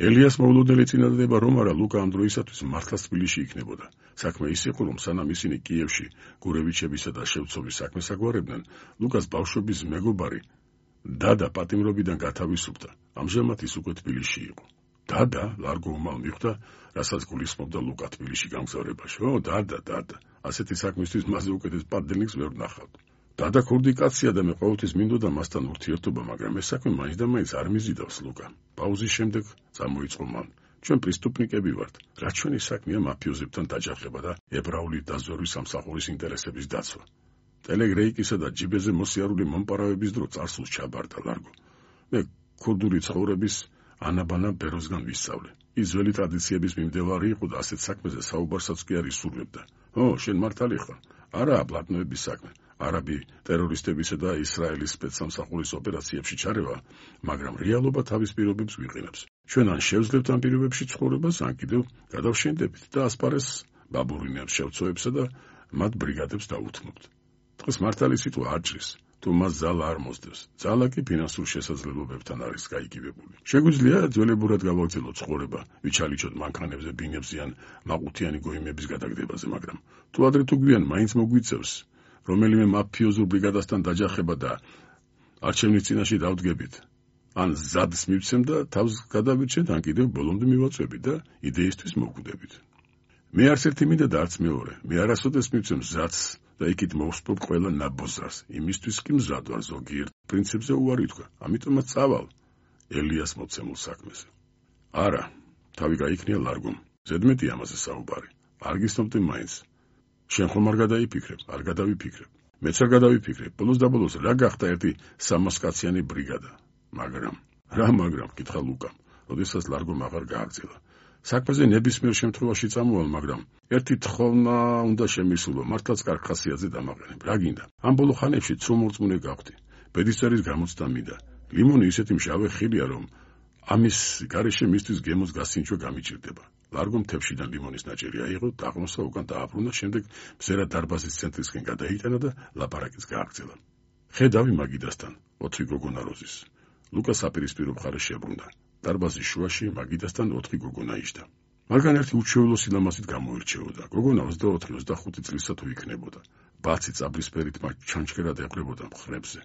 ელიას მოულოდნელი წინადადება რომ არა, ლუკა ამ დროისათვის მართლაც თბილისში იქნებოდა. საქმე ის იყო, რომ სანამ ისინი კიევში გურევიჩებისა და შევცოვის საქმეს აგვარებდნენ, ლუკას ბავშვობის მეგობარი დადა პატიმრობიდან გათავისუფლდა. ამჟამად ის უკვე თბილისში იყო. დადა? ლარგო უმალ მიხვდა, რასაც გულისხმობდა ლუკა თბილისში გამგზავრებაში. ო, დადა, დადა. ასეთი საქმისთვის მასზე უკეთეს პატდელნიკს ვერ ვნახავთ. დადა ქურდი კაცია და მე ყოველთვის მინდოდა მასთან ურთიერთობა, მაგრამ ეს საქმე მაინც და მაინც არ მიზიდავს ლუკა. პაუზის შემდეგ წამოიწყო მან. ჩვენ პრისტუპნიკები ვართ. რაც ჩვენი საქმეა მაფიოზებთან დაჯახება და ებრაული დაზვერვის სამსახურის ინტერესების დაცვა. ტელეგრეიკისა და ჯიბეზე მოსიარული მომპარავების დრო царსულს ჩაბარდა ლარგო. მე ქურდული ცხოვრების ანაბანა ბეროსგან ვისწავლე. ის ძველი ტრადიციების მიმდევარი იყო და ასეთ საქმეზე საუბარსაც კი არ ისურვებდა. ო, შენ მართალი ხარ? არაა პლატნოების საქმე. არაბი ტერორისტებისა და ისრაელის სპეცსამსახურის ოპერაციებში ჩარევა, მაგრამ რეალობა თავის პირობებს ვიყენებს. ჩვენ ან შევძლებთ ამ პირობებში ცხოვრებას, ან კიდევ გადავშენდებით და ასპარეს ბაბურინებს შევცოვებსა და მათ ბრიგადებს დაუთმობთ. დღეს მართალი სიტყვა არ ჭრის, თუ მას ძალა არ მოსდევს. ძალა კი ფინანსურ შესაძლებლობებთან არის გაიგივებული. შეგვიძლია ძველებურად გავაგრძელოთ ცხოვრება, ვიჩალიჩოთ მანქანებზე, ბინებზე ან მაყუთიანი გოიმების გადაგდებაზე, მაგრამ თუ ადრე თუ გვიან მაინც მოგვიწევს რომელიმე მაფიოზურ ბრიგადასთან დაჯახება და არჩევნის წინაშე დავდგებით. ან ზადს მივცემ და თავს გადავირჩეთ, ან კიდევ ბოლომდე მივაწვევით და იდეისთვის მოვკვდებით. მე არც ერთი მინდა და არც მეორე. მე არასოდეს მივცემ ზადს და იქით მოვსპობ ყველა ნაბოზრას. იმისთვის კი მზად ვარ ზოგიერთ პრინციპზე უარი თქვა. ამიტომაც წავალ ელიას მოცემულ საქმეზე. არა, თავი გაიქნია ლარგომ. ზედმეტი ამაზე საუბარი. არ გისნობდი მაინც. შენ ხომ არ გადაიფიქრებ, არ გადავიფიქრებ. მეც არ გადავიფიქრებ. ბოლოს და ბოლოს რა გახდა ერთი სამასკაციანი ბრიგადა. მაგრამ, რა მაგრამ, კითხა ლუკამ, როდესაც ლარგომ აღარ გააგრძელა. საქმეზე ნებისმიერ შემთხვევაში წამოვალ, მაგრამ ერთი თხოვნა უნდა შემისულო, მართლაც კარგ ხასიათზე დამაყენებ. რა გინდა? ამ ბოლო ხანებში ცრომორწმუნე გავხდი. ბედისწერის გამოცდა მინდა. ლიმონი ისეთი მჟავე ხილია, რომ ამის გარეშე მისთვის გემოს გასინჯვა გამიჭირდება. ლარგომ თებშიდან ლიმონის ნაჭერი აიღო, დააღმოსა უკან დააბრუნა, შემდეგ მზერა დარბაზის ცენტრისკენ გადაიტანა და ლაპარაკიც გააგრძელა. ხედავი მაგიდასთან, ოთხი გოგონა როზის. ლუკა საპირისპირო მხარეს შებრუნდა. დარბაზის შუაში მაგიდასთან ოთხი გოგონა იჯდა. მაგრამ ერთი უჩვეულო სილამაზით გამოირჩეოდა. გოგონა ოცდაოთხი ოცდახუთი წლისა თუ იქნებოდა. ბაცი წაბლისფერით მათ ჩანჩქერად ეყრებოდა მხრებზე.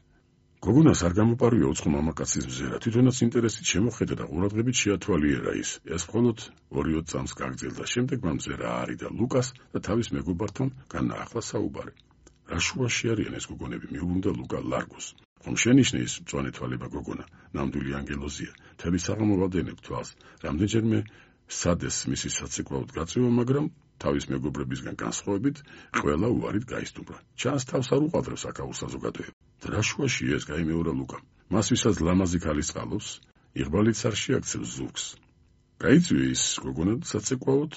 გოგონას არ გამოპარვია უცხო მამაკაცის მზერა, თვითონაც ინტერესით შემოხედა და ყურადღებით შეათვალიერა ის. ეს მხოლოდ ორი-ოც წამს გაგრძელდა. შემდეგ მან მზერა აარიდა ლუკას და თავის მეგობართან განაახლა საუბარი. რა შუაში არიან ეს გოგონები? მიუბრუნდა ლუკა ლარგოს. ხომ შენიშნე ის მწვანე თვალება გოგონა, ნამდვილი ანგელოზია, თელი საღამო ვადენებ თვალს, რამდენჯერმე სადეს მისი საცეკვაოდ გაწევა, მაგრამ თავის მეგობრებისგან განსხვავებით ყველა უარით გაისტუმრა. ჩანს თავს არ უყადრებს აქაურ საზოგადოებას. რა შუაში ეს? გაიმეორა ლუკამ. მას ვისაც ლამაზი ქალის წყალობს, იღბალიც არ შეაქცევს ზურგს. გაიწვია ის გოგონა საცეკვაოდ,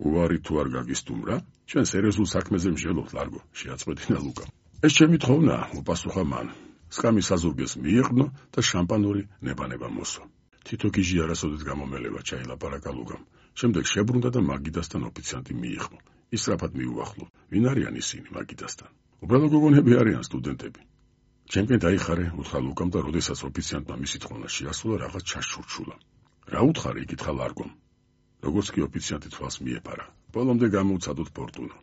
უარი თუ არ გაგისტუმრა? ჩვენ სერიოზულ საქმეზე მსჯელობთ, ლარგო, შეაწყვეტინა ლუკამ. ეს ჩემი თხოვნაა, უპასუხა მან. სკამის საზურგეს მიიღნო და შამპანური ნება-ნება მოსვა. თითო გიჟი არასოდეს გამომელება, ჩაილაპარაკა ლუკამ. შემდეგ შებრუნდა და მაგიდასთან ოფიციანტი მიიღო. ისრაფად მიუახლო. ვინ არიან ისინი მაგიდასთან? უბრალო გოგონები არიან, სტუდენტები. ჩემკენ დაიხარე, უთხრა ლუკამ და როდესაც ოფიციანტმა მისი თხოვნა შეასრულა, რაღაც ჩაშურჩულა. რა უთხარი? იკითხა ლარგომ. როგორც კი ოფიციანტი თვალს მიეფარა. ბოლომდე გამოუცადოთ ფორტუნა.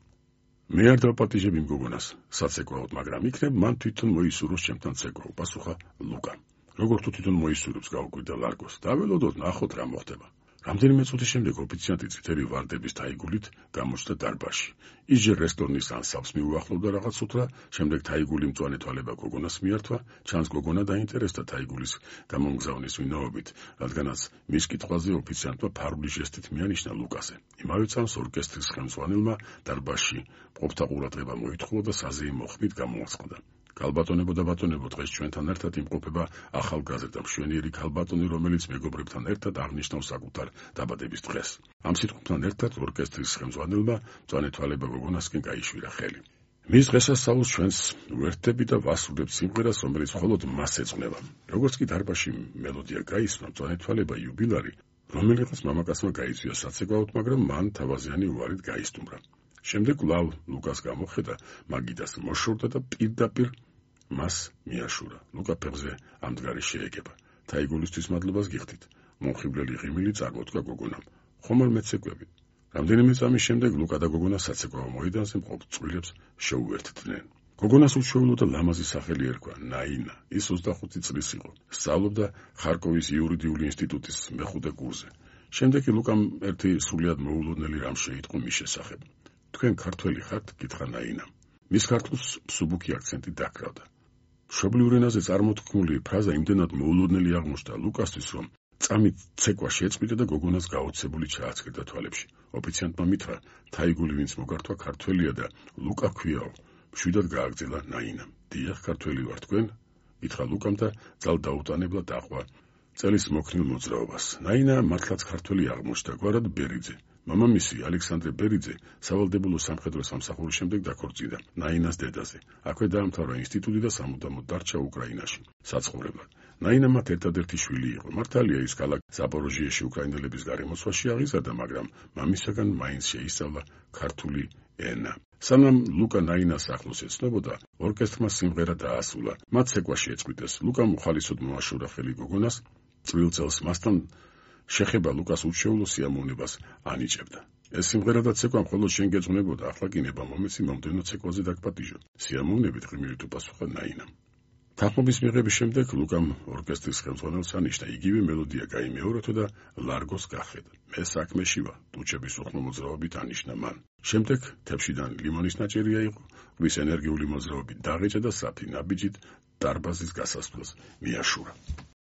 მე არ დავპატიჟებ იმ გოგონას, საცეკვაოდ, მაგრამ იქნებ მან თვითონ მოისურვოს ჩემთან ცეკვა, უპასუხა ლუკა. როგორ თუ თვითონ მოისურვებს, გაუკვირდა ლარგოს. დაველოდოთ, ნახოთ რა მოხდება. რამდენიმე წუთის შემდეგ ოფიციანტი წითელი ვარდების თაიგულით გამოჩნდა დარბაზში. ის ჯერ რესტორნის ანსამბლს მიუახლოვდა რაღაც უთრა, შემდეგ თაიგული მწვანე თვალება გოგონას მიართვა, ჩანს გოგონა დაინტერესდა თაიგულის გამომგზავნის ვინაობით, რადგანაც მის კითხვაზე ოფიციანტმა ფარული ჟესტით მიანიშნა ლუკაზე. იმავე წამს ორკესტრის ხელმძღვანელმა დარბაზში მყოფთა ყურადღება მოითხოვა და საზეიმო ხმით გამოაცხადა. ქალბატონებო და ბატონებო, დღეს ჩვენთან ერთად იმყოფება ახალგაზრდა მშვენიერი ქალბატონი, რომელიც მეგობრებთან ერთად აღნიშნავს საკუთარ დაბადების დღეს. ამ სიტყვებთან ერთად ორკესტრის ხელმძღვანელმა მწვანე თვალება გოგონასკენ გაიშვირა ხელი. მის დღესასწაულს ჩვენს ვერთდები და ვასრულებთ სიმღერას, რომელიც მხოლოდ მას ეძღვნება. როგორც კი დარბაზში მელოდია გაისმა, მწვანე თვალება იუბილარი, რომელიღაც მამაკაცმა გაიწვია საცეკვაოდ, მაგრამ მან თავაზიანი უარით გაისტუმრა. შემდეგ ლავ ლუკას გამოხედა, მაგიდას მოშორდა და პირდაპირ მას მიაშურა. ლუკა ფეხზე ამდღარი შეეგება. თაიგულისთვის მადლობას გიხდით. მომხიბვლელი ღიმილი წარმოთქვა გოგონამ. ხომ არ მეცეკვებით? რამდენიმე წამის შემდეგ ლუკა და გოგონა საცეკვაო მოედანზე მყოფ წყვილებს შეუერთდნენ. გოგონას უჩვეულო და ლამაზი სახელი ერქვა ნაინა. ის ოცდახუთი წლის იყო. სწავლობდა ხარკოვის იურიდიული ინსტიტუტის მეხუთე კურსზე. შემდეგ კი ლუკამ ერთი სრულიად მოულოდნელი რამ შეიტყო მის შესახებ. თქვენ ქართველი ხართ? გითხრა ნაინამ. მის ქართულს მსუბუქი აქცენტი დაკრავდა. მშობლიურ ენაზე წარმოთქმული ფრაზა იმდენად მოულოდნელი აღმოჩნდა ლუკასთვის, რომ წამით ცეკვა შეწყვიტა და გოგონას გაოცებული ჩააცქერდა თვალებში. ოფიციანტმა მითხრა, თაიგული ვინც მოგართვა ქართველია და ლუკა ქვიაო. მშვიდად გააგრძელა ნაინამ. დიახ, ქართველი ვარ, თქვენ? გითხრა ლუკამ და ძალ დაუტანებლა დაყვა წელის მოქნილ მოძრაობას. ნაინა მართლაც ქართველი აღმოჩნდა, გვარად ბერიძე. მამამისი ალექსანდრე ბერიძე სავალდებულო სამხედრო სამსახურის შემდეგ დაქორწინდა ნაინას დედაზე. აქვე დაამთავრა ინსტიტუტი და სამუდამოდ დარჩა უკრაინაში საცხოვრებლად. ნაინა მათ ერთადერთი შვილი იყო. მართალია ის ქალაქ ზაპოროჟიეში უკრაინელების გარემოცვაში აღიზარდა, მაგრამ მამისაგან მაინც შეისწავლა ქართული ენა. სანამ ლუკა ნაინას ახლოს ეცნობოდა, ორკესტრმა სიმღერა დაასრულა. მათ ცეკვა შეეწყვიტეს. ლუკამ უხალისოდ მოაშორა ხელი გოგონას, წვრილ წელს მასთან შეხება ლუკას უჩვეულო სიამოვნებას ანიჭებდა. ეს სიმღერა და ცეკვა მხოლოდ შენ გეძღვნებოდა, ახლა კი ნება მომეცი მომდევნო ცეკვაზე დაგპატიჟო. სიამოვნებით ღიმილით უპასუხა ნაინამ. თანხმობის მიღების შემდეგ ლუკამ ორკესტრის ხელმძღვანელს ანიშნა, იგივე მელოდია გაიმეოროთო და ლარგოს გახედა. მე საქმეში ვარ, ტუჩების უხმო მოძრაობით ანიშნა მან. შემდეგ თებშიდან ლიმონის ნაჭერი აიღო, რის ენერგიული მოძრაობით დაღეჭა და საფი ნაბიჯით დარბაზის გასასვლელს მიაშურა.